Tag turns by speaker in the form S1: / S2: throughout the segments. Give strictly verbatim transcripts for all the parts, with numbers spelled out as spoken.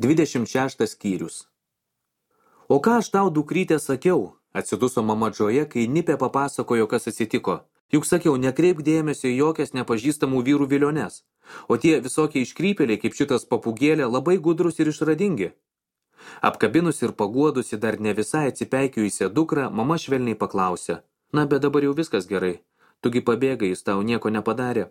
S1: Dvidešimt šeštas skyrius. O ką aš tau, dukrytė, sakiau? Atsiduso mama Džoja, kai Nipė papasakojo, kas atsitiko. Juk sakiau, nekreipk dėmesio į jokias nepažįstamų vyrų viliones. O tie visokie iškrypėliai, kaip šitas papūgėlė, labai gudrus ir išradingi. Apkabinusi ir paguodusi dar ne visai atsipeikiusią dukrą, mama švelniai paklausė. Na, bet dabar jau viskas gerai. Tugi pabėgai, jis tau nieko nepadarė.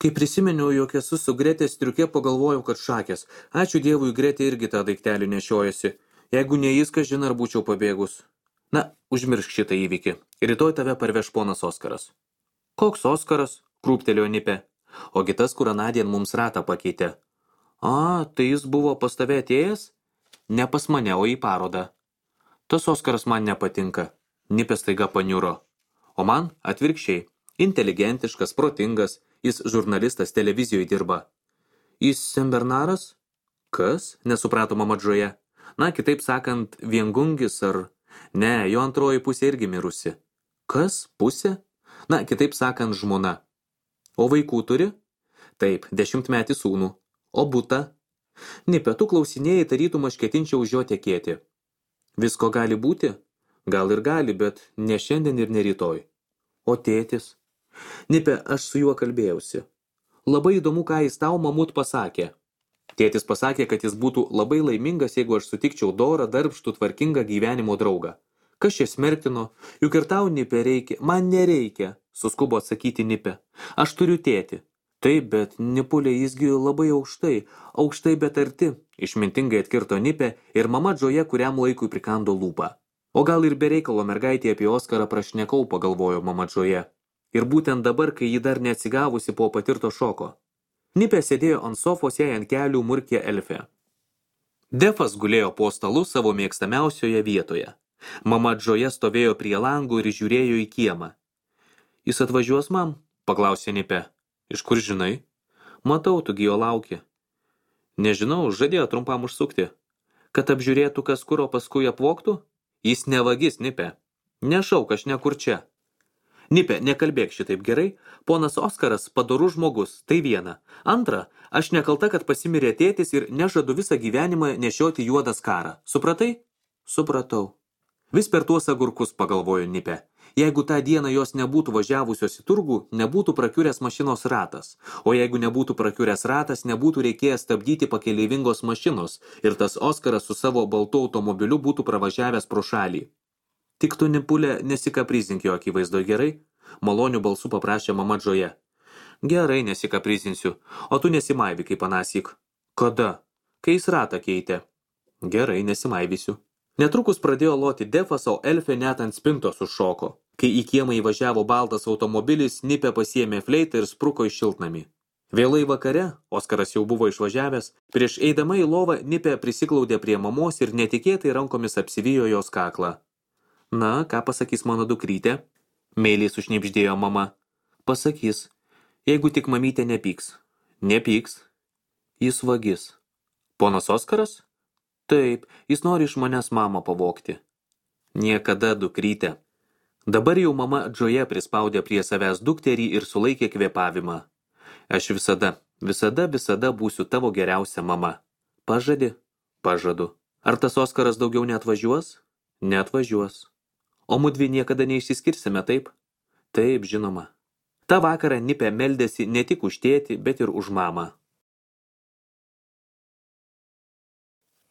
S1: Kai prisiminiau, jog esu su Gretės striuke, pagalvojau, kad šakės. Ačiū Dievui, Gretė irgi tą daiktelį nešiojasi. Jeigu ne jis, kažin ar būčiau pabėgus. Na, užmiršk šitą įvykį. Rytoj tave parveš ponas Oskaras. Koks Oskaras? Krūptelėjo Nipė. Ogi tas, kur anądien mums ratą pakeitė. A, tai jis buvo pas tave atėjęs? Ne pas mane, o į parodą. Tas Oskaras man nepatinka. Nipė staiga paniuro. O man atvirkščiai. Inteligentiškas, protingas. Jis žurnalistas, televizijoje dirba. Jis Senbernaras? Kas? Nesuprato mama Džoja. Na, kitaip sakant, viengungis ar... Ne, jo antroji pusė irgi mirusi. Kas? Pusė? Na, kitaip sakant, žmona. O vaikų turi? Taip, dešimtmetį sūnų. O butą? Nipė, tu klausinėjai, tarytum aš ketinčiau už jo tekėti. Visko gali būti? Gal ir gali, bet ne šiandien ir ne rytoj. O tėtis? Nipė, aš su juo kalbėjausi. Labai įdomu, ką jis tau mamut pasakė. Tėtis pasakė, kad jis būtų labai laimingas, jeigu aš sutikčiau dorą, darbštų, tvarkingą gyvenimo draugą. Kas čia smerktino? Juk ir tau, Nipė, reikia. Man nereikia, suskubo atsakyti Nipė. Aš turiu tėtį. Taip, bet Nipulė jisgi labai aukštai, aukštai bet arti, išmintingai atkirto Nipė ir mama Džoja kuriam laikui prikando lūpą. O gal ir be reikalo mergaitė apie Oskarą prašnekau, pagalvojo mama Džoja. Ir būtent dabar, kai ji dar neatsigavusi po patirto šoko. Nipė sėdėjo ant sofos, jai ant kelių murkė Elfė. Defas gulėjo po stalu savo mėgstamiausioje vietoje. Mama Džoja stovėjo prie langų ir žiūrėjo į kiemą. Jis atvažiuos, mam? Paklausė Nipė. Iš kur žinai? Matau, tu gi jo lauki. Nežinau, žadėjo trumpam užsukti. Kad apžiūrėtų kas kur, o paskui apvogtų? Jis nevagis, Nipė. Nešauk, aš nekur čia. Nipė, nekalbėk šitaip gerai. Ponas Oskaras padorus žmogus, tai viena. Antra, aš nekalta, kad pasimirė tėtis ir nežadu visą gyvenimą nešioti juodą skarą. Supratai? Supratau. Vis per tuos agurkus, pagalvojo Nipė. Jeigu tą dieną jos nebūtų važiavusios į turgų, nebūtų prakiuręs mašinos ratas. O jeigu nebūtų prakiuręs ratas, nebūtų reikėjęs stabdyti pakeleivingos mašinos ir tas Oskaras su savo baltu automobiliu būtų pravažiavęs pro šalį. Tik tu, Nipulė, nesikaprizink jo akivaizdo, gerai? Malonių balsų paprašė mama Džoja. Gerai, nesikaprizinsiu. O tu nesimaivi kaip anąsyk. Kada? Kai jis ratą keitė. Gerai, nesimaivysiu. Netrukus pradėjo loti Defas, o Elfė net ant spintos užšoko. Kai į kiemą įvažiavo baltas automobilis, Nipė pasiėmė fleitą ir spruko į šiltnamį. Vėlai vakare, Oskaras jau buvo išvažiavęs, prieš eidama į lovą Nipė prisiglaudė prie mamos ir netikėtai rankomis apsivijo jos kaklą. Na, ką pasakys mano dukrytė? Meiliai sušnibždėjo mama. Pasakys, jeigu tik mamytė nepyks. Nepyks. Jis vagis. Ponas Oskaras? Taip, jis nori iš manęs mamą pavogti. Niekada, dukrytė. Dabar jau mama Džoja prispaudė prie savęs dukterį ir sulaikė kvėpavimą. Aš visada, visada, visada būsiu tavo geriausia mama. Pažadi? Pažadu. Ar tas Oskaras daugiau neatvažiuos? Neatvažiuos. O mudvi niekada neišsiskirsime, taip? Taip, žinoma. Ta vakarą Nipė meldėsi ne tik už tėtį, bet ir už mamą.